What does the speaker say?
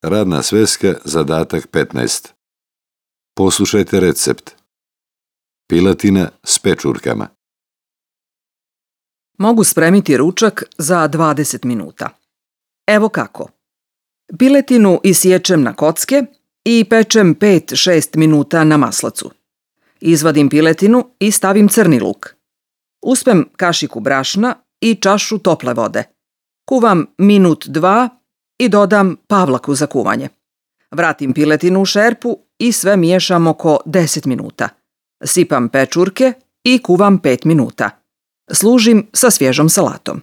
Radna sveska, zadatak 15. Poslušajte recept. Piletina s pečurkama. Mogu spremiti ručak za 20 minuta. Evo kako. Piletinu isječem na kocke i pečem 5-6 minuta na maslacu. Izvadim piletinu i stavim crni luk. Uspem kašiku brašna i čašu tople vode. Kuvam minut, dva i dodam pavlaku za kuvanje. Vratim piletinu u šerpu i sve miješam oko 10 minuta. Sipam pečurke i kuvam 5 minuta. Služim sa svježom salatom.